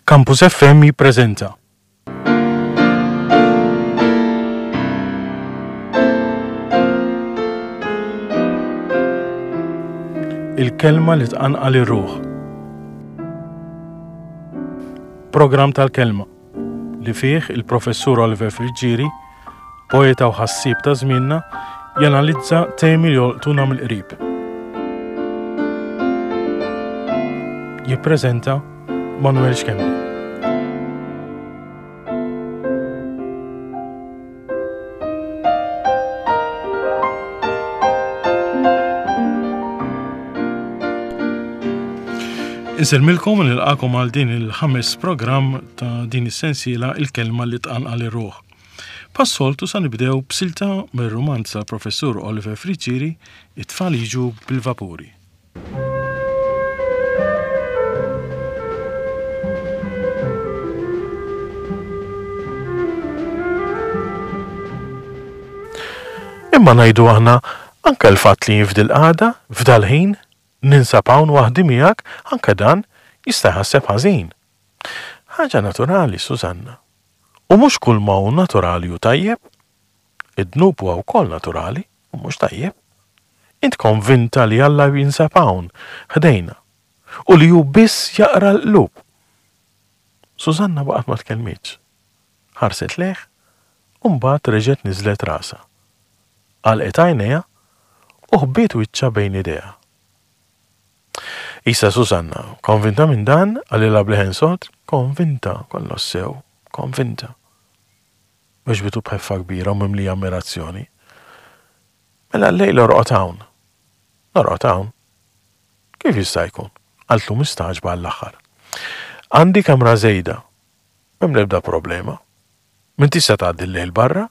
Campus FM jippreżenta. Il-kelma li tqanqal ir-ruħ. Programm tal-kelma li fih il-Professur Oliver Friggieri, poeta u ħassieb ta' żmienna, janalizza temi li jolqtuna mill-qrib. Jippreżenta Manuel Schembri. Insellmilkom u nilqakom għal din il-ħames programm ta' din is-sensiela il-kelma li tqanqal ir-ruħ. Passoltu sa nibdew b'silta mir-rumanz tal-Professur Oliver Friggieri, It-tfal jiġu bil-vapuri. Imma ngħidu aħna, anke l-fatt li jien f'dil-qagħda, f'dal-ħin, ninsab hawn waħdi miegħek, anke dan jista' jħasseb ħażin. Ħaġa naturali, Susanna. U mhux kulma hu naturali hu tajjeb. Id-dnub huwa wkoll naturali u mhux tajjeb. Int konvinta li Alla jinsab hawn, ħdejna, u li hu biss jaqra l-qlub. Susanna baqgħet ma tkellmitx. Ħarset lejh u mbagħad reġgħet niżlet rasha. Għalqet għajnejha u ħbiet wiċċha bejn idejha. Isa Susanna, konvinta minn dan? qalilha b'leħen sod. Konvinta, kollox sew, konvinta. Weġbitu b'ħeffa kbira u mimlija ammirazzjoni. Mela llejla orqod hawn. Norqod hawn? Kif jista' jkun? qaltlu mistagħġba għall-aħħar. Għandi kamra żejda. M'hemm l-ebda problema. M'intix se tgħaddi l-lejl barra.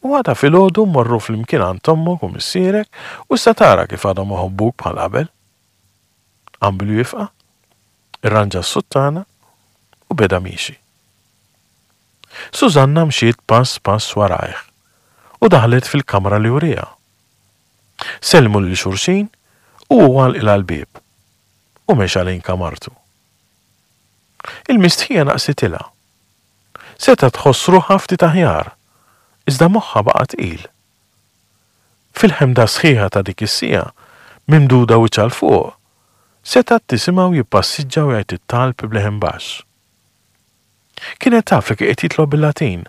U għada filgħodu mmorru flimkien għand ommok u missierek u issa tara kif għadhom iħobbuk bħal qabel. Qam bil-wieqfa, irranġa s-suttana u beda miexi. Susanna mxiet pass pass warajh u daħlet fil-kamra li wrieha. Sellmu lil xulxin u hu għalqilha l-bieb u mexa lejn kamartu. Il-mistħija naqsitilha. Setgħet tħoss ruħha ftit aħjar, iżda moħħha baqa' tqil. Fil-ħemda sħiħa ta' dik is-siegħa, mimduda wiċċha 'l fuq, setgħet tisimgħu jippassiġġa u jgħid it-talb b'leħen baxx. Kienet taf li kien qed jitlob bil-Latin.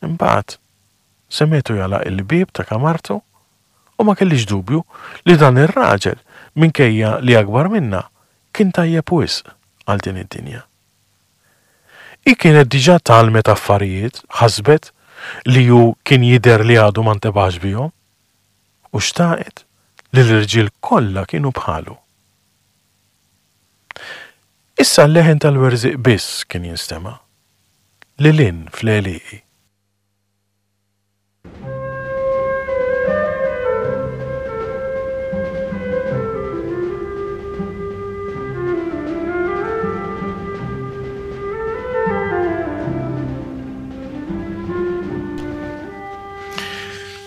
Imbagħad, semgħetu jagħlaq il-bieb ta' kamartu u ma kellhiex dubju li dan ir-raġel, minkejja li akbar minnha, kien tajjeb wisq għal din id-dinja. Hi kienet diġà tgħallmet affarijiet, ħasbet, li hu kien jidher li għadu ma ntebaħx bihom, u xtaqet li l-irġiel kollha kienu bħalu. Issa l-leħen tal-werżieq biss kien jinstema', lil hinn fl-għelieqi.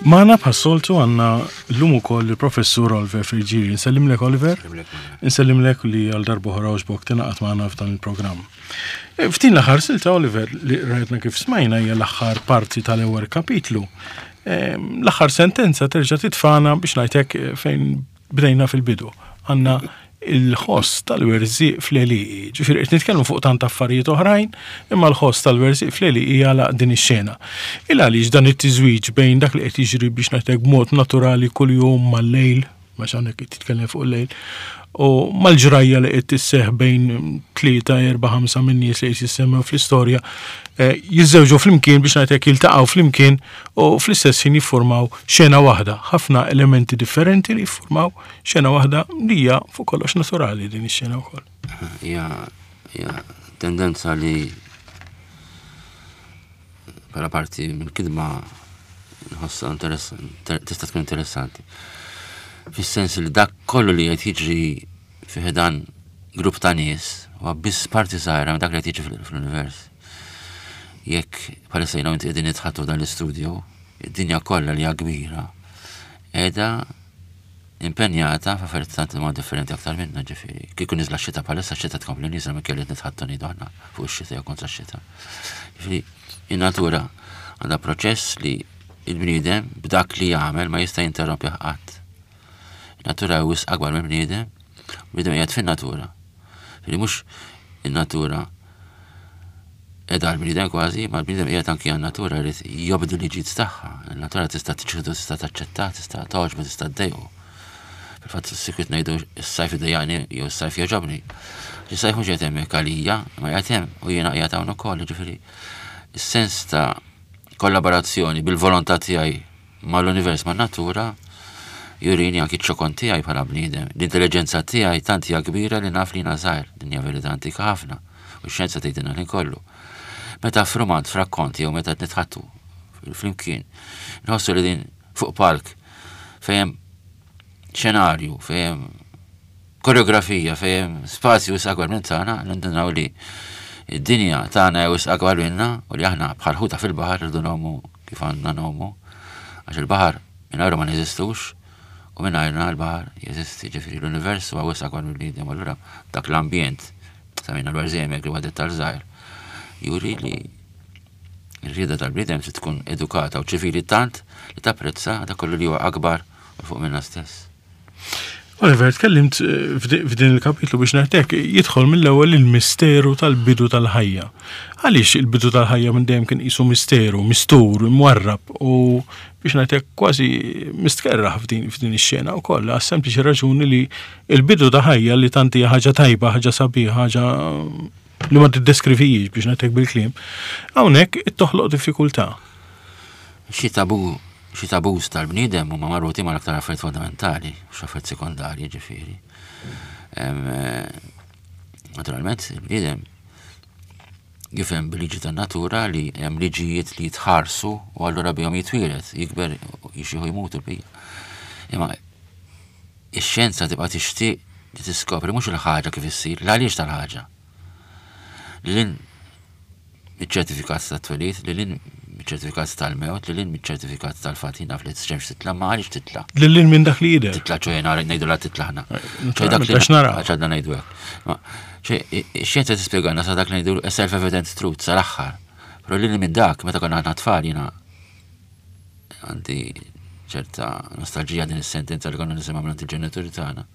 Magħna bħas-soltu għandna llum ukoll il-Professur Oliver Friggieri. Nsellimlek Oliver. Insellimlek li għal darb'oħra għoġbok tingħaqad magħna f'dan il-programm. E, f'din l-aħħar silta Oliver li rajtna kif smajna hija l-aħħar parti tal-ewwel kapitlu. E, l-aħħar sentenza terġa' titfana biex ngħidlek e, fejn bdejna fil-bidu. Għandna il-ħoss tal-werżieq fl-għelieqi. Ġifieri qed nitkellmu fuq tant affarijiet oħrajn, imma l-ħoss tal-werżieq fl-għelieqi jagħlaq din ix-xena. Il għaliex dan it-tiżwiġ bejn dak li qed jiġri biex ngħidlek b'mod naturali kuljum mal-lejl, għax hawnhekk qed titkellem fuq il-lejl, u mal-ġrajja li qed tisseħ bejn tlieta, erba', ħamsa minn nies li qed jissemmew fl-istorja, eh, jiżżewġu flimkien biex ngħidlek jiltaqgħu flimkien u fl-istess ħin jiffurmaw xena waħda, ħafna elementi differenti li jiffurmaw xena waħda li hija fuq kollox naturali din ix-xena wkoll. Hija tendenza li bħala parti mill-kidma nħossha tista' tkun interessanti. Fis-sens li dak kollu li qed jiġri fi dan grupp ta' nies huwa biss parti żgħira minn dak li qed jiġri fl-univers. Jekk bħalissa jiena inti qegħdin nitħattu dan l-istudio, id-dinja kollha li hija kbira qiegħda. impenjata f'affarijiet tant huma differenti aktar minna ġifieri. Kieku niżla x-xita bħalissa x-xita tkompli nieżla minkejja li qed nitħaddtu ngħidu aħna fuq ix-xita jew kontra x-xita. Ġifieri in-natura għandha proċess li il-bniedem b'dak li jagħmel ma jista' jinterrompih qatt. Natura hi wisq akbar mill-bniedem, bniedem qiegħed fin-natura. Ġifieri mhux in-natura qiegħda għall-bniedem kważi, ma l-bniedem qiegħed anki għan-natura jrid jobdi liġijiet tagħha. Il-natura tista' tiċħdu, tista' taċċetta, tista' togħġbu, tista' ddejqu. Fil-fatt sikwit ngħidu s-sajf idejjaqni jew s-sajf jogħġobni. Is-sajf mhux qiegħed hemmhekk għalija, ma qiegħed hemm u jiena qiegħed hawn ukoll, jiġifieri is-sens ta' kollaborazzjoni bil-volontà tiegħi mal-univers, man-natura, jurini anki ċ-ċokon tiegħi bħala bniedem. L-intelliġenza tiegħi tant hija kbira li naf li jiena żgħir. Din hija verità antika ħafna u x-xjenza tgħidilna l-ħin kollu. Meta f'rumanz, f'rakkont jew meta qed nitħaddtu flimkien, nħossu li din fuq palk fejn hemm xenarju, fejn hemm koreografija, fejn hemm spazju wisq akbar minn tagħna, nindunaw li id-dinja tagħna hija wisq akbar minna u li aħna bħal ħuta fil-baħar irridu ngħumu kif għandna ngħumu, għax il-baħar mingħajru ma neżistux u mingħajrna l-baħar jeżisti, ġifieri l-univers huwa wisq akbar mill-bniedem, allura dak l-ambjent semmejna dwar Zemek li huwa dettal żgħir, juri li r-rieda tal-bniedem trid tkun edukata u ċivili tant li tapprezza dak kollu li huwa akbar u fuq minna stess. Oliver, tkellimt eh, f'din il-kapitlu biex ngħidlek jidħol mill-ewwel il-misteru tal-bidu tal-ħajja. Għaliex il-bidu tal-ħajja minn dejjem kien qisu misteru, mistur, imwarrab u biex ngħidlek kważi mistkerraħ f'din f'din ix-xena wkoll għas sempliċi raġuni li il-bidu ta' ħajja li tant hija ħaġa tajba, ħaġa sabiħa, ħaġa li ma tiddeskrivijiex biex ngħidlek bil-kliem, hawnhekk toħloq diffikultà. Xi tabu, xi tabus tal-bniedem huma marbutin mal-aktar affarijiet fondamentali, mhux affarijiet sekondarji ġifieri. Eh, naturalment, il-bniedem jifhem bil-liġi tan-natura li hemm liġijiet li jitħarsu u allura bihom jitwieled, jikber, jixieħu jmut il-bija. Imma ix-xjenza tibqa' tixtieq li tiskopri mhux il-ħaġa kif issir, l-għaliex tal-ħaġa. Lil miċ-ċertifikat tat-twelid, lil hinn miċ-ċertifikat tal-mewt, lil hinn miċ-ċertifikat tal-fatt jien naf li x-xemx titla' ma għaliex titla'. Lil hinn minn dak li jidher. Titla' ċoe nara ngħidu la titla' ħna. ċoe dak li nara. Għax għadna ngħidu hekk. Ċoe ix-xjenza tispjegana sa dak li ngħidu self-evident truth sal-aħħar. Però lil minn dak meta konna aħna tfal jiena għandi ċerta nostalġija din is-sentenza li konna nisimgħu minn il-ġenituri tagħna.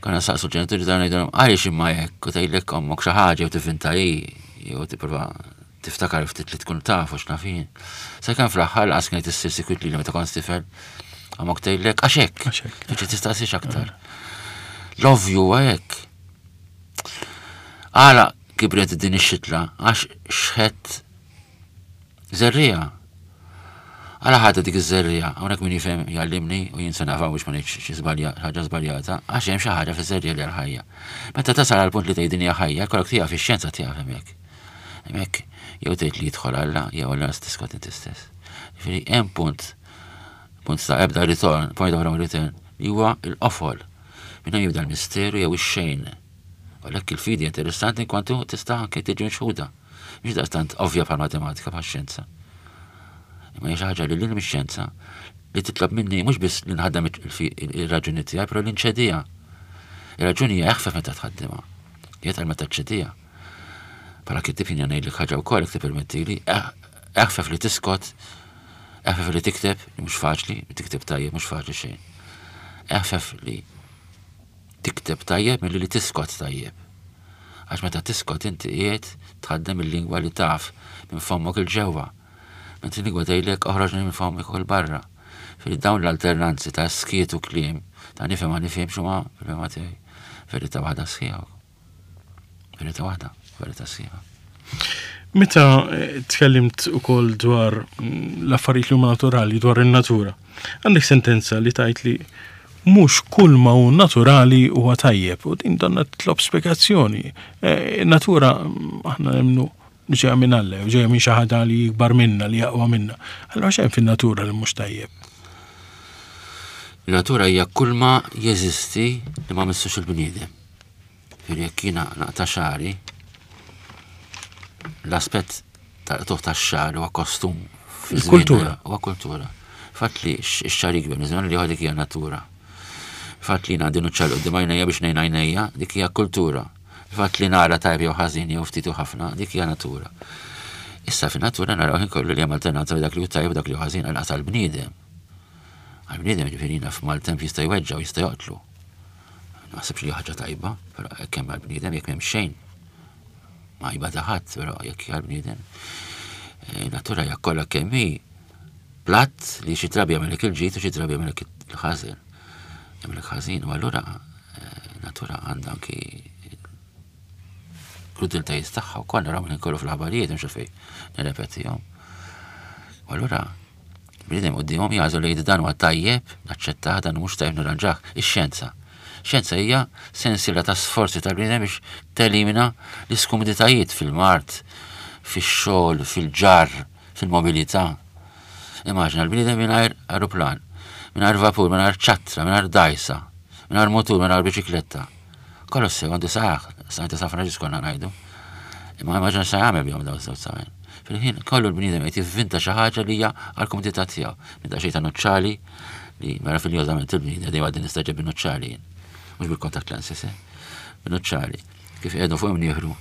Konna saqsu l-ġenituri tagħna ngħidulhom għaliex imma hekk u tgħidlek ommok xi ħaġa jew tivvinta hi jew tipprova tiftakar ftit li tkun taf u x'naf jien. Sakemm fl-aħħar laqas kienet issir sikwit li meta kont tifel ommok tgħidlek għax hekk. Biex tistaqsix aktar. L-ovvju huwa hekk. Għala kibret din ix-xitla għax xħet Żerriegħa. Għala ħadha dik iż-żerriegħa? Hawnhekk min jifhem jgħallimni u jien se naqaf hawn biex ma ngħidx xi żbalja, ħaġa żbaljata, għax hemm xi ħaġa fiż-żerriegħa li hija ħajja. Meta tasal għal punt li tgħid din hija ħajja, jkollok tieqaf ix-xjenza tieqaf hemmhekk. Hemmhekk jew tgħid li jidħol Alla jew Alla tiskot inti stess. Jiġifieri hemm punt, punt ta' ebda ritorn, point of no return, li huwa l-qofol. Minn hemm jibda l-misteru jew ix-xejn. Għalhekk il-fidi interessanti kwantu tista' anke tiġi mixħuda. Mhix daqstant ovvja bħal matematika bħal xjenza. Imma hija xi ħaġa li lil mix-xjenza li titlob minni mhux biss li nħaddem ir-raġuni tiegħi, però li nċediha. Ir-raġuni hija eħfef meta tħaddimha. Hija tal meta ċediha. Bħala kittib jien ngħidlek ħaġa wkoll jekk tippermettili, eh, eħfef li tiskot, eħfef li tikteb, li mhux faċli, tikteb tajjeb mhux faċli xejn. Eħfef li Tikteb tajjeb milli li tiskot tajjeb. Għax meta tiskot inti qiegħed tħaddem il-lingwa li taf minn fommok 'il ġewwa. Mentri l-lingwa tgħidlek oħroġni minn fommok 'il barra. Ġifieri dawn l-alternanzi ta' skiet u kliem, ta' nifhem ma nifhimx huma fil-fehma tiegħi verità waħda sħiħa. Verità waħda, verità sħiħa. Meta eh, tkellimt ukoll dwar mm, l-affarijiet li huma naturali, dwar in-natura, għandek sentenza li tajt li mhux kull ma hu naturali huwa tajjeb u din donna titlob spjegazzjoni. Eh, natura mm, aħna nemmnu ġeja minn Alla, ġeja minn xi ħaġa li jikbar minna, li jaqwa minna. Allura xejn fin-natura li mhux tajjeb. Il-natura hija kull ma jeżisti li ma missux il-bniedem. Ġifieri jekk jiena naqta' xagħri, l-aspett tal-qtugħ tax-xagħar huwa kostum. Kultura. Huwa kultura. Fatt li x-xagħar jikber minn żmien għal ieħor dik hija natura. Fatt li jien għandi nuċċal quddiem għajnejja biex ngħin għajnejja, dik hija kultura. Fatt li nara tajb jew ħażin jew ftit u ħafna, dik hija natura. Issa fin-natura naraw ħin kollu li hemm alternanza dak li hu tajjeb u dak li hu ħażin għal għall-bniedem. Għall-bniedem ġifieri naf maltemp jista' jweġġa' u jista' joqtlu. Naħsibx li ħaġa tajba, però hekk hemm għall-bniedem jekk m'hemm xejn. Ma jbata ħadd, però jekk għall-bniedem. Eh, natura hija kollha kemm hi platt li xi drabi jagħmellek il-ġid u xi drabi jagħmellek il-ħażin. Jagħmellek ħażin u allura eh, natura għandha anki krudeltajiet tagħha wkoll naraw minn kollu fl-aħbarijiet mhux fejn nirrepetihom. U allura Bniedem quddiemhom jagħżel li jgħid dan huwa tajjeb, naċċettah, dan mhux tajjeb nirranġah. Ix-xjenza. Xjenza hija sensiela ta' sforzi tal-bniedem biex telimina l-iskumditajiet fil-mard, fix-xogħol, fil-ġarr, fil-mobilità. Immaġina l-bniedem mingħajr aeroplan, mingħajr vapur, mingħajr ċattra, mingħajr dgħajsa, mingħajr mutur, mingħajr biċikletta. Kollox sew għandu saħ, sa' San Franġisk konna ngħidu. Imma immaġina sa jagħmel bihom dawn żewġ saqajn. Fil-ħin kollu l-bniedem qed jivvinta xi ħaġa li hija għall-kumdità tiegħu. Minn daqsxejn ta' nuċċali li meraviljożament il-bniedem dejjem għadni nistaġeb bin-nuċċali jien. Mhux bil-contact lenses, eh? Bin-nuċċali. Kif qiegħdu fuq imnieħru.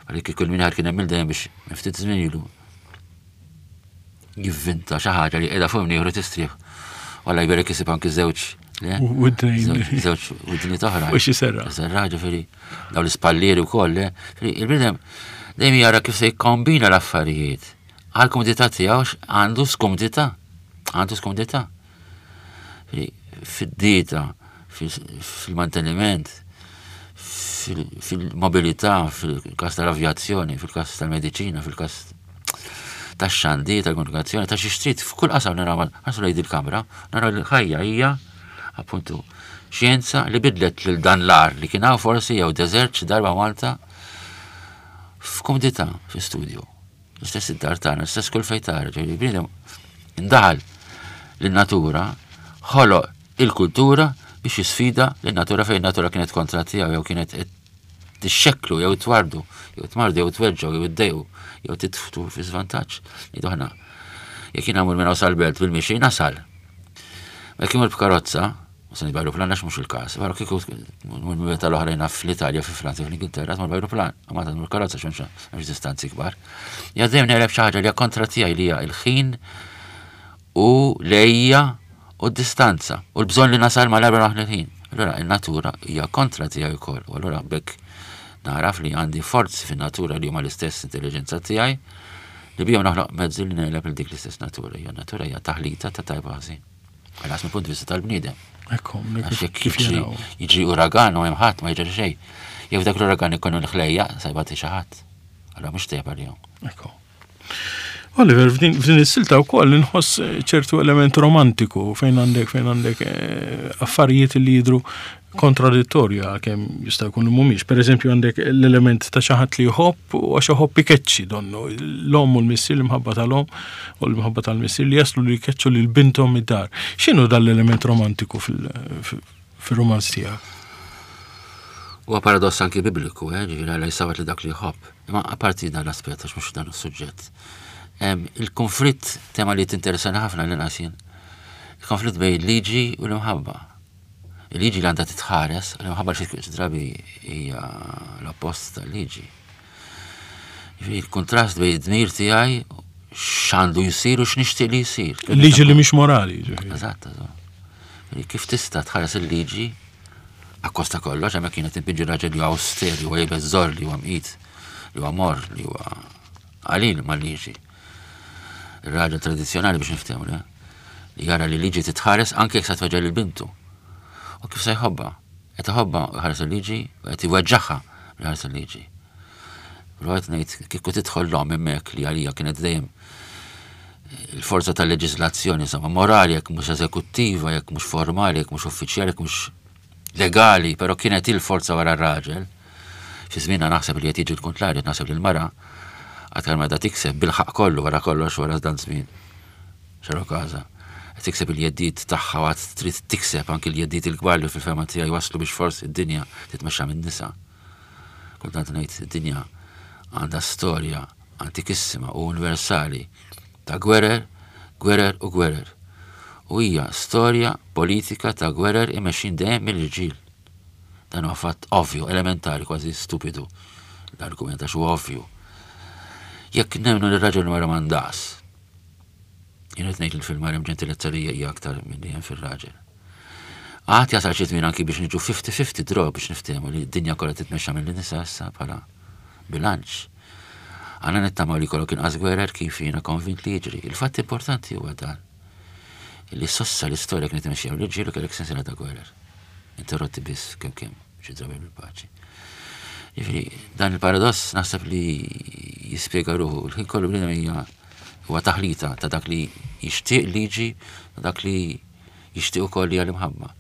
Għalik kieku l-minħar kien hemm dejjem biex ftit żmien ilu jivvinta xi ħaġa li qiegħda fuq imnieħru tistrieħ. Walla jberek isib anki żewġ Żewġ widni toħra. U xi serra. Serra ġifieri dawn l-ispallieri wkoll, il-bniedem dejjem jara kif se jikkombina l-affarijiet. Għal kumdità tiegħu għandu skumdità. Għandu skumdità. Fid-dieta, fil-manteniment, fil-mobilità, fil-każ tal-avjazzjoni, fil-każ tal-mediċina, fil-każ tax-xandir, tal-komunikazzjoni, ta' xi trid, f'kull qasam naraw ħarsu lejn il-kamra, naraw li l-ħajja hija appuntu xjenza li bidlet lil dan l-ar li kien hawn forsi jew deżert xi darba Malta f'kumdità fi studio. L-istess id-dar tagħna, l-istess kull fejn tara, ġifieri bniedem indaħal lin-natura, ħoloq il-kultura biex jisfida lin-natura fejn natura kienet kontra tiegħu jew kienet tixxekklu jew twardu, jew tmardu jew tweġġgħu jew iddejqu jew titftu fi żvantaġġ. Ngħidu aħna, jekk jien għamur minn hawn sal-belt bil-mixi nasal. Ma jekk imur b'karozza, u se b'ajruplan għax mhux il-każ, però kieku mur tal-oħrajn fl-Italja, fi Franza, fl-Ingilterra, tmur b'ajruplan, ma tmur karozza x'hemmx hemmx distanzi kbar. Ja dejjem neqleb xi ħaġa li hija kontra tiegħi li hija il-ħin u l-għejja u d-distanza u l-bżonn li nasal mal-għarba naħli l-ħin. Allura in-natura hija kontra tiegħi wkoll u allura b'hekk nagħraf li għandi forzi fin-natura li huma l-istess intelliġenza tiegħi li bihom naħloq mezzi li negħleb lil dik l-istess natura. Hija natura hija taħlita ta' tajba ħażin. Għal mill punt vista tal-bniedem. Għax jekk jiġri uragan u hemm ħadd ma jiġri xejn. Jew dak l-uragan ikun il-ħlejja se jbati xi ħadd. Allura mhux tajjeb għalihom. Ekku. Oliver, f'din is-silta wkoll inħoss eh, ċertu element romantiku fejn għandek fejn għandek eh, affarijiet li jidru kontradittorju għalkemm jista' jkun mhumiex. Pereżempju għandek l-element ta' xi ħadd li jħobb u għax iħobb ikeċċi donnu. L-omm u l-missier, l-imħabba tal-omm u l-imħabba tal-missier li jaslu li jkeċċu lil binthom id-dar. X'inhu dan l-element romantiku fil-romanz tiegħek? Huwa paradoss anki bibliku, eh, ġifieri Alla jsawwat li dak li jħobb. Imma apparti dan l-aspett, għax mhux dan is-suġġett. Il-konflitt, tema li tinteressani ħafna l jien, il-konflitt bejn il-liġi u l-imħabba. Il-liġi li għandha titħares, l-imħabba xi drabi hija l-oppost tal-liġi. Il-kontrast bejn id-dmir tiegħi x'għandu jsir u x'nixtieq li jsir. Il-liġi li mhix morali. Eżatt, eżatt. Kif tista' tħares il-liġi Akkost ta' kollox, hemmhekk kienet inpinġi raġel li huwa auster, li huwa iebes żorr, li huwa mqit, li huwa morr, li huwa qalil mal-liġi. Ir-raġel tradizzjonali biex niftehmu, le? Li jara li liġi titħares anke jekk sa tweġġa' lil bintu. U kif se jħobbha? Qed iħobbha u jħares il-liġi u qed iweġġagħha li ħares il-liġi. Però qed ngħid kieku tidħol l-omm hemmhekk li għalija kienet dejjem il-forza tal-leġiżlazzjoni, insomma, morali jekk mhux eżekuttiva, jekk mhux formali, jekk mhux uffiċjali, jekk mhux legali, però kienet il-forza wara r-raġel. Fi żmienna naħseb li qed jiġi l-kuntrarju, naħseb li l-mara aktar ma tikseb bil-ħaq kollu wara kollox wara dan żmien. Xaru każa. Qed tikseb il-jeddiet tagħha u għad trid tikseb anki l-jeddiet il-kbar li fil-fema tiegħi waslu biex forsi d-dinja titmexxa min-nisa. Kultant ngħid id-dinja għandha storja antikissima u universali ta' gwerer, gwerer u gwerer. U hija storja politika ta' gwerer imexxin dejjem mill-irġiel. Dan huwa fatt ovvju, elementari, kważi stupidu l-argument għax huwa ovvju. Jekk nemmnu li r-raġel mara m'għandas, jien qed ngħid li fil-mara hemm ġentilezza li hija aktar milli hemm fir-raġel. Għad jasal xi żmien anki biex niġu 50-50 draw biex niftehmu li d-dinja kollha titmexxa mill-nisa issa bħala bilanċ. Għandna nittamaw li jkollok inqas gwerer kif jiena konvint li jiġri. Il-fatt importanti huwa dan. Li sossa l-istorja kienet imexxija mill-irġiel u kellek sensiela ta' gwerer. Interrotti biss kemm kemm xi drabi bil-paċi. Jiġifieri dan il-paradoss naħseb li jispjega ruħu. Il-ħin kollu bniedem hija huwa taħlita ta' dak li jixtieq liġi, ta' dak li jixtieq ukoll li l-imħabba.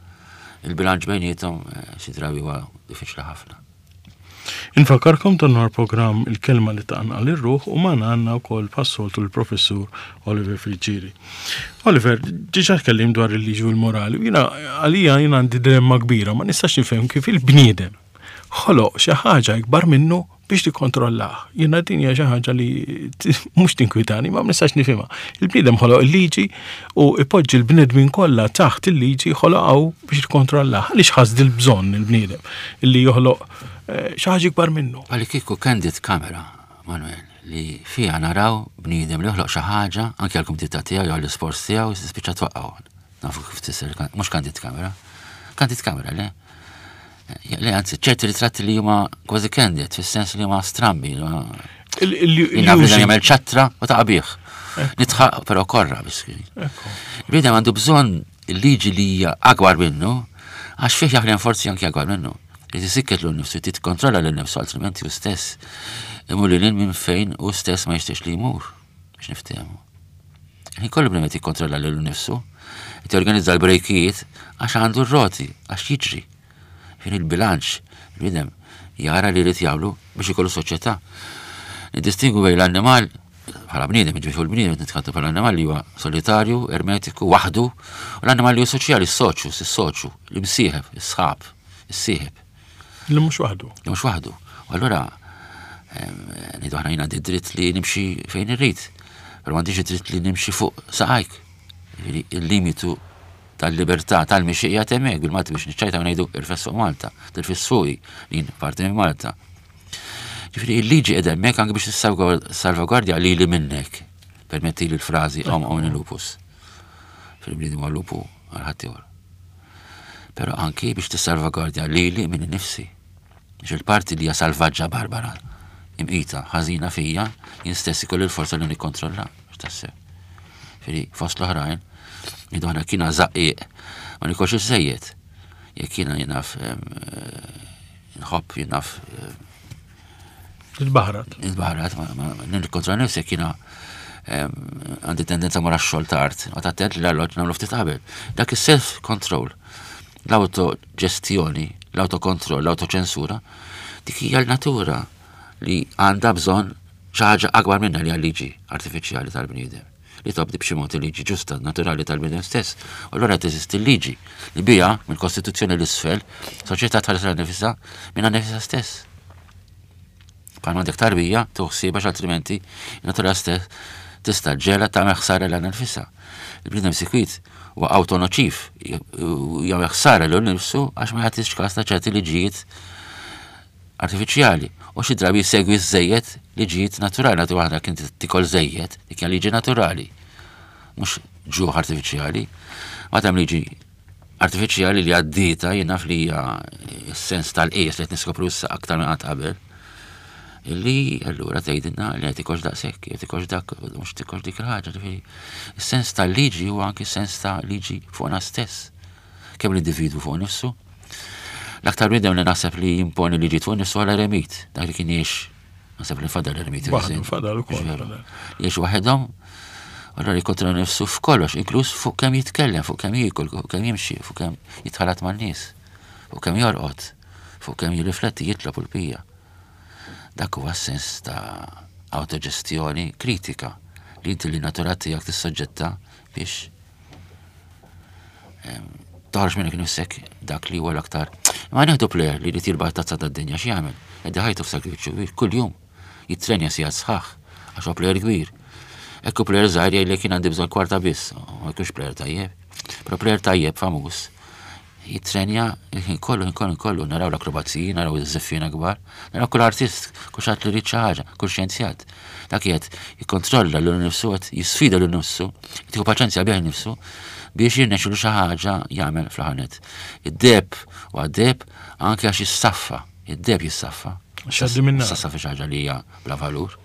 Il-bilanċ bejniethom eh, xi drabi huwa diffiċli ħafna. Infakkarkom dan nhar programm Il-Kelma li Tqanqal ir-Ruħ u magħna għandna wkoll bħas-soltu l-Professur Oliver Friggieri. Oliver, diġà tkellim dwar il-liġi u l-morali u jiena għalija jiena għandi dilemma kbira, ma nistax nifhem kif il-bniedem ħoloq xi ħaġa ikbar minnu biex tikkontrollah. Jiena din hija xi ħaġa li mhux tinkwitani, ma nistax nifhimha. Il-bniedem ħoloq il-liġi u ipoġġi l-bnedmin kollha taħt il-liġi ħoloqgħu biex jikkontrollah. Għaliex ħass dil-bżonn il-bniedem illi joħloq eh, xi ħaġa ikbar minnu? Għalli kieku candid camera, Manuel, li fiha naraw bniedem li joħloq xi ħaġa anke għall-kumdità tiegħu jew għall-isports tiegħu jispiċċa twaqqgħu. Nafu kif tisir, mhux candid camera. Candid camera, le? Le, anzi, ċerti ritratti li huma kważi candid, fis-sens li huma strambi. Jina bniedem jagħmel ċattra u ta' bih. Nitħaq, però korra biss. Bniedem għandu bżonn il-liġi li hija akbar minnu, għax fih jaħdem forzi anki akbar minnu. Li tisikket l nifsu, titkontrolla l nifsu, altrimenti u stess imur li minn fejn u stess ma jixtiex li jmur, biex niftehmu. Ħin kollu bniedem qed jikkontrolla lilu nnifsu, qed jorganizza l-brejkijiet għax għandu r-roti, għax jiġri. Fin il-bilanċ, il-bniedem jara li jrid jagħmlu biex ikollu soċjetà. Niddistingwu bejn l-annimal bħala bniedem, ġifieri l-bniedem qed nitkellmu bħala annimal li huwa solitarju, ermetiku, waħdu, u l-annimal li huwa soċjali, s-soċju, s-soċju, l-imsieħeb, is-sħab, is-sieħeb. Li mhux waħdu. Li mhux waħdu. U allura ngħidu aħna jien għandi dritt li nimxi fejn irrid, però m'għandix dritt li nimxi fuq saqajk. Il-limitu tal-libertà tal-mixi qiegħed hemmhekk bil-Malti biex niċċajta ngħidu irfes fuq Malta, tirfis fuqi li jien parti minn Malta. Ġifieri il-liġi qiegħda hemmhekk anke biex tissalvagwardja lili minnek. Permetti li l-frażi om omni lupus. Fil-bniedem huwa lupu għal ħaddieħor. Però anki biex tissalvagwardja lili minn nifsi. Biex il-parti li hija salvaġġa barbara, imqita, ħażina fija, jien stess ikolli l-forza li nikkontrolla, x'tassew. Firi, fost l-oħrajn, jidu ħana kiena zaqqiq, ma nikolx iż-żejjed. Jekk jiena jiena nħobb jiena Il-baħrat. Il-baħrat, nikkontrolla nifsi jekk jiena għandi tendenza mara xogħol tard, ma attent li l-alloġ nagħmlu ftit qabel. Dak is-self control, l-autoġestjoni, l-autokontroll, l-autoċensura, dik hija l-natura li għandha bżonn xi ħaġa akbar minna li liġi artifiċjali tal-bniedem li tobdi b'xi mod il-liġi ġusta naturali tal-bniedem stess. U allura teżisti l-liġi li biha mill-Kostituzzjoni l-isfel soċjetà tħares nifisha minna nifisha stess. Bħal m'għandek tarbija, tieħu ħsiebha għax altrimenti natura stess tista' ġela tagħmel ħsara lilha nfisha. Il-bniedem sikwit huwa awtonoċiv, jagħmel ħsara lil nifsu għax ma jagħtix każ ta' ċerti liġijiet artifiċjali u xi drabi jsegwi żejjed liġijiet naturali, nagħti waħda kien tikol żejjed, dik hija liġi naturali, mhux ġuħ artifiċjali. Ma hemm liġi artifiċjali li għaddieta jien naf li hija s-sens tal-qies li qed niskopru issa aktar minn qatt qabel. Illi allura tgħidilna li qed tikolx daqshekk, qed tikolx dak, mhux tikolx dik il-ħaġa, ġifieri. Is-sens tal-liġi huwa anki sens ta' liġi fuqna stess. Kemm l-individwu fuq nifsu. L-aktar bniedem li naħseb li jimponi liġi fuq nifsu għal eremit, dak li kien jgħix Naħseb li fadal eremiti. Waħdu fadal ukoll. Jgħix waħedhom, allura jikkontrolla nifsu f'kollox, inkluż fuq kemm jitkellem, fuq kemm jiekol, fuq kemm jimxi, fuq kemm jitħalat man-nies, fuq kemm jorqod, fuq kemm jirrifletti, jitlob u l-pija. Dak huwa sens ta' autoġestjoni kritika li inti li natura tiegħek tissoġġetta biex toħroġ minnek nifsek dak li huwa l-aktar. Ma nieħdu plejer li jrid jirbaħ tazza tad-dinja x'jagħmel? Qed ħajtu f'sakrifiċċju kbir kuljum jitrenja sigħat sħaħ għax huwa plejer kbir. Ekku plejer żgħir jgħidlek jien għandi bżonn kwarta biss, ma jkunx plejer tajjeb. Però plejer tajjeb famuż jitrenja il-ħin kollu, ħin kollu, kollu, naraw l-akrobaziji, naraw iż-żeffina kbar, naraw kull artist, kull xatt li rrid xi ħaġa, kull xjenzjat. Dak qed jikkontrolla lil nifsu, qed jisfida lil nifsu, qed jieħu paċenzja bih nifsu biex jirnexxilu xi ħaġa jagħmel fl-aħħar Id-deb u għad-deb anke għax jissaffa, id-deb jissaffa. X'għaddi minn nar. Saffa xi ħaġa li hija bla valur.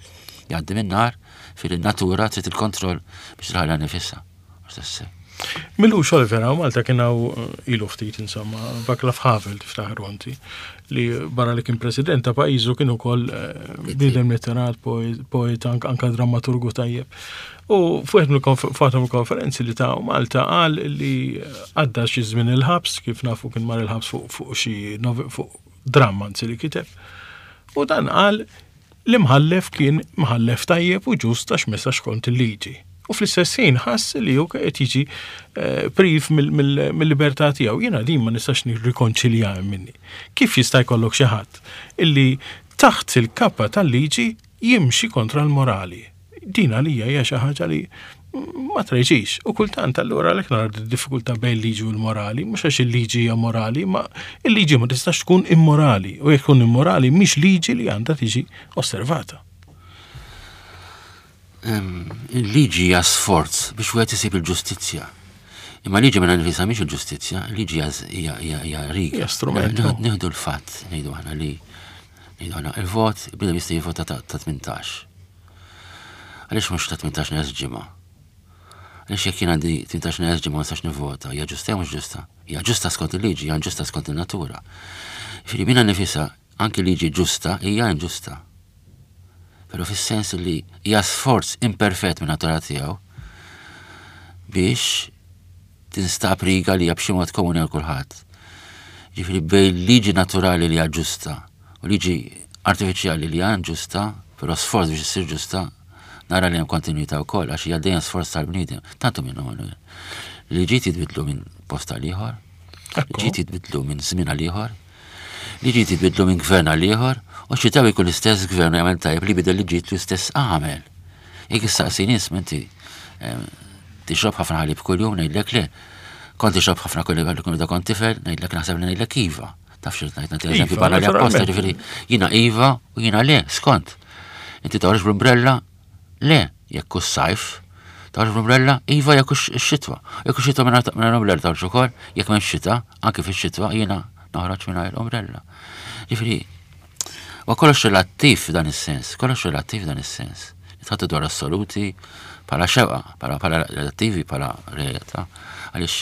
Jgħaddi minn nar fil-natura trid il-kontroll biex tħalla nifisha. Milux Oliver hawn Malta kien hawn eh, ilu ftit insomma, Vaclav Havel tiftaħru inti, li barra li kien president ta' pajjiżu kien ukoll eh, bniedem litterat, poet, anka drammaturgu tajjeb. U fuq mill-konferenzi li ta' Malta qal li għadda xi żmien il-ħabs, kif nafu kien mar il-ħabs fuq xi fuq dramma anzi li kiteb. U dan qal L-imħallef kien mħallef tajjeb u ġust għax mexa skont il-liġi. U fl-istess ħin ħass li hu qed jiġi eh, priv mill-libertà tiegħu. Jiena din ma nistax nirrikonċilja minni. Kif jista' jkollok xi ħadd illi taħt il-kappa tal-liġi jimxi kontra l-morali? Din għalija hija xi ħaġa li ma treġix. U kultant allura għalhekk nara diffikultà bejn liġi u l-morali, mhux għax il-liġi hija morali, ma il-liġi ma tistax tkun immorali. U jekk tkun immorali mhix liġi li għandha tiġi osservata. Il-liġi hija sforz biex wieħed isib il-ġustizzja. Imma liġi minn nifisha mhix il-ġustizzja, liġi hija riga. Hija strument. Nieħdu l-fatt, ngħidu aħna li ngħidu aħna il-vot, bniedem jista' jivvota ta' 18. Għaliex mhux ta' 18 neqes ġimgħa? Għaliex jekk jien għandi 18 neqes ġimgħa ma nistax nivvota, hija ġusta jew mhux ġusta? Hija ġusta skont il-liġi, hija ġusta skont in-natura. Jiġifieri minnha nifisha anki liġi ġusta hija inġusta. Però fis-sens li hija sforz imperfett minn natura tiegħu biex tinstab riga li hija b'xi mod komuni għal kulħadd. Ġifieri bejn liġi naturali li hija ġusta u liġi artifiċjali li hija inġusta, però sforz biex issir ġusta, nara li hemm kontinwità wkoll għax hija dejjem sforz tal-bniedem. Tantu minnu Manuel. Liġijiet jitbidlu minn post għal ieħor, liġijiet jitbidlu minn żmien għal ieħor, liġijiet jitbidlu minn gvern għal ieħor, u xi taw jkun l-istess gvern jagħmel tajjeb li bidel liġijiet li stess għamel. Jekk issaqsini isma' inti tixrob ħafna ħalib kuljum ngħidlek le. Kont tixrob ħafna kuljum meta kont tifel, ngħidlek naħseb li ngħidlek iva. Taf xi ngħid nagħti eżempju barra li apposta ġifieri jiena iva u jiena le, skont. Inti toħroġ bl-umbrella? Le, jekk hu sajf. Toħroġ bl-umbrella? Iva jekk hux xitwa. Jekk hux xitwa mingħajr umbrella toħroġ ukoll, jekk m'hemmx xita, anke fix-xitwa jiena noħroġ mingħajr umbrella. Ġifieri, Wa kollox relattiv f'dan is-sens, kollox relattiv f'dan is-sens. Nitħattu dwar assoluti bħala xewqa, bħala relattivi, bħala realtà. Għaliex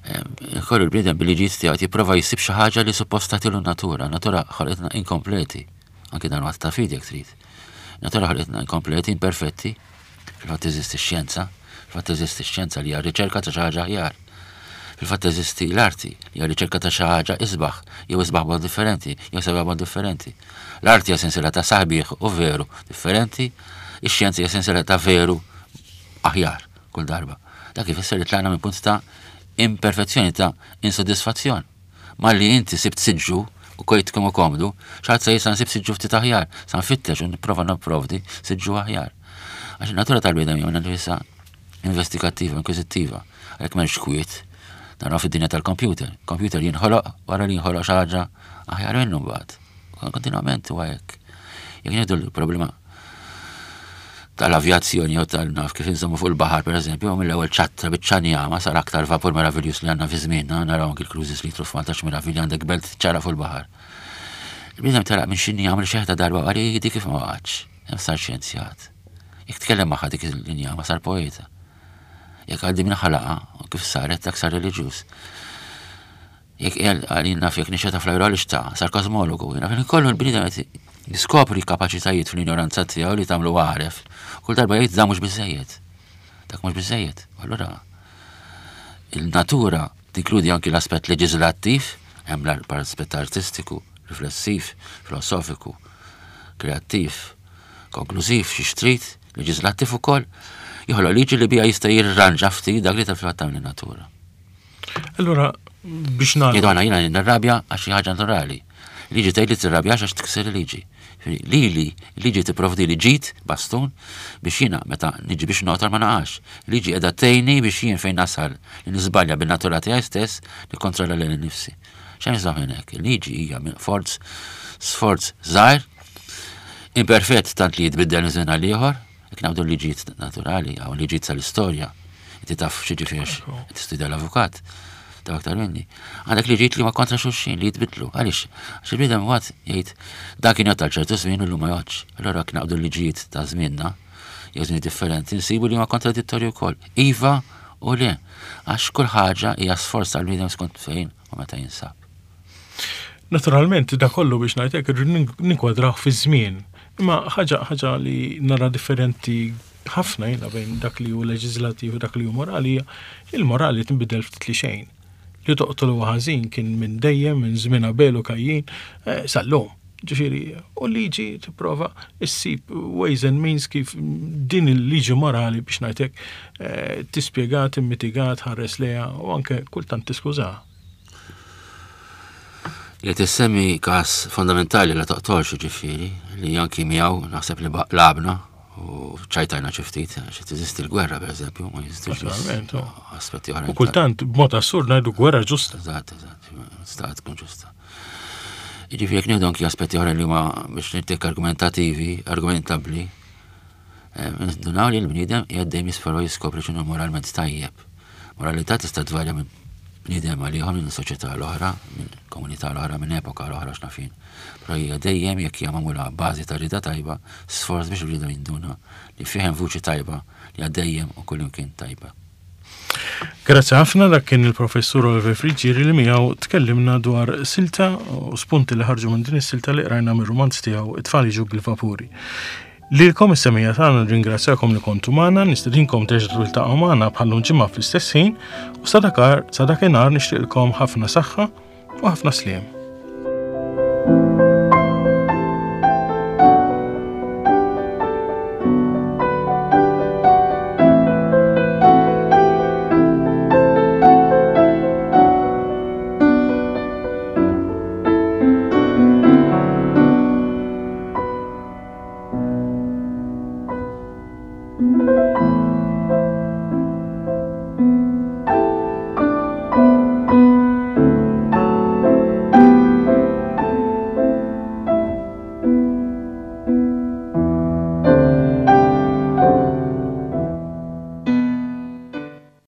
eh, kollu l-bniedem bil-liġijiet tiegħu jipprova jsib xi ħaġa li suppost tagħtilu natura. Natura ħolqitna inkompleti, anki dan waqt ta' fidi jekk trid. Natura ħolqitna inkompleti, imperfetti, Fil-fatt teżisti x-xjenza, fil-fatt teżisti x-xjenza li hija riċerka ta' xi ħaġa aħjar. Fil-fatt teżisti l-arti li hija riċerka ta' xi ħaġa isbaħ, jew isbaħ b'mod differenti, jew sabiħ b'mod differenti. L-arti hija sensiela ta' sabiħ u veru differenti, ix-xjenza hija sensiela ta' veru aħjar kull darba. Dak ifisser li tlaqna minn punt ta' imperfezzjoni ta' insoddisfazzjon. Malli inti sibt siġġu u kojt kemm hu komdu, xi ħadd se jgħid sa nsib siġġu ftit aħjar, sa nfittex u nipprova nipprovdi siġġu aħjar. Għax in-natura tal-bniedem hija minnha nfisha investigattiva, inkwiżittiva, għalhekk m'hemmx kwiet. Naraw fid-dinja tal-kompjuter. Kompjuter jinħoloq wara li jinħoloq xi ħaġa aħjar minnu mbagħad. Kontinwament huwa hekk. Jekk nieħdu l-problema tal-avjazzjoni jew tal-naf kif inżommu fuq il-baħar pereżempju, mill-ewwel ċattra biċċa njama sar aktar vapur meraviljuż li għandna fi żmienna, naraw anki l-cruises li jitlu f'Malta x'meravilja għandek belt ċara fuq il-baħar. Il-bniedem telaq minn xi njama li xeħta darba qal di kif ma waqgħetx, hemm sar xjenzjat. Jekk tkellem magħha dik il-injama sar poeta. Jekk għaddi minn ħalaqa kif saret dak sar reliġjuż. Jekk qal jien naf jekk nixeta fl-ajru għaliex ta' sar kosmologu, jien naf kollu l-bniedem qed jiskopri kapaċitajiet fl-injoranza tiegħu li tagħmlu għaref. Kull darba jgħid dan mhux biżejjed. Dak mhux biżejjed. Allura il-natura tinkludi anki l-aspett leġislattiv, hemm l-aspett artistiku, riflessiv, filosofiku, kreattiv, konklużiv, xi xtrid, leġislattiv ukoll, joħloq liġi li bija jista' jirranġa ftit dak li tal-fatt tagħmel in-natura. Allura, biex nagħlaq. Jgħidu għana jiena nirrabja għax xi ħaġa naturali. Liġi tgħid li tirrabjax għax tikser il-liġi. Lili, liġi tipprovdi li ġid bastun biex jiena meta niġi biex noqtol ma naqax. Liġi qiegħda tgħinni biex jien fejn nasal li niżbalja bin-natura tiegħi stess nikkontrolla lili nnifsi. Xejn żamm hekk. Il-liġi hija minn forz sforz żgħir, imperfett tant li jitbiddel minn żmien għal ieħor, jekk nagħmlu liġijiet naturali hawn liġijiet tal-istorja. Inti taf xi ġifieri tistudja l-avukat, taf aktar minni. Għandek liġijiet li huma kontra xulxin li jitbidlu. Għaliex? Għax il-bniedem mbagħad jgħid dak kien jgħod għal ċertu żmien u llum ma jgħodx. Allura jekk naqbdu l-liġijiet ta' żmienna jew żmien differenti nsibu li huma kontradittorji wkoll. Iva u le. Għax kull ħaġa hija sforz tal-bniedem skont fejn u meta jinsab. Naturalment, da kollu biex ngħidlek irrid ninkwadrah fiż-żmien. Imma ħaġa ħaġa li nara differenti ħafna jiena bejn dak li hu leġislattiv u dak li hu morali hija il-morali tinbidel ftit li xejn. Li toqtol huwa ħażin kien minn dejjem minn żmien Abel u Kajjin eh, sal-lum. Ġifieri, u liġi tipprova issib ways and means kif din il-liġi morali biex ngħidlek eh, tispjega, timmitiga, tħares lejha u anke kultant tiskużaha. Li tissemmi każ fondamentali la toqtolx ġifieri li anki miegħu naħseb li labna u ċajtajna xi ftit, xi teżisti l-gwerra pereżempju, ma jeżistix aspetti oħra. U kultant b'mod assurd ngħidu gwerra ġusta. Eżatt, eżatt, sta tkun ġusta. Jiġifieri jekk nieħdu anki aspetti oħra li huma biex nittek argumentativi, argumentabbli, eh, ndunaw li l-bniedem qiegħed dejjem jisfera jiskopri x'inhu moralment tajjeb. Moralità tista' tvarja minn bniedem għal ieħor minn soċjetà l-oħra, minn komunità l-oħra, minn epoka l-oħra x'nafin. Però hija dejjem jekk hija magħmula bażi ta' rida tajba, sforz biex il-bniedem jinduna li fih hemm vuċi tajba li hija dejjem u kullimkien tajba. Grazzi ħafna dak kien il-Professur Oliver Friggieri li miegħu tkellimna dwar silta u spunti li ħarġu minn din is-silta li qrajna mir-rumanz tiegħu It-tfal jiġu bil-vapuri. Lilkom is-semija tagħna nirringrazzjakom li kontu magħna, nistedinkom terġgħu tiltaqgħu magħna bħallum ġimgħa fl-istess ħin u sa dakar sa dakinhar nixtieqilkom ħafna saħħa u ħafna sliem. Thank you.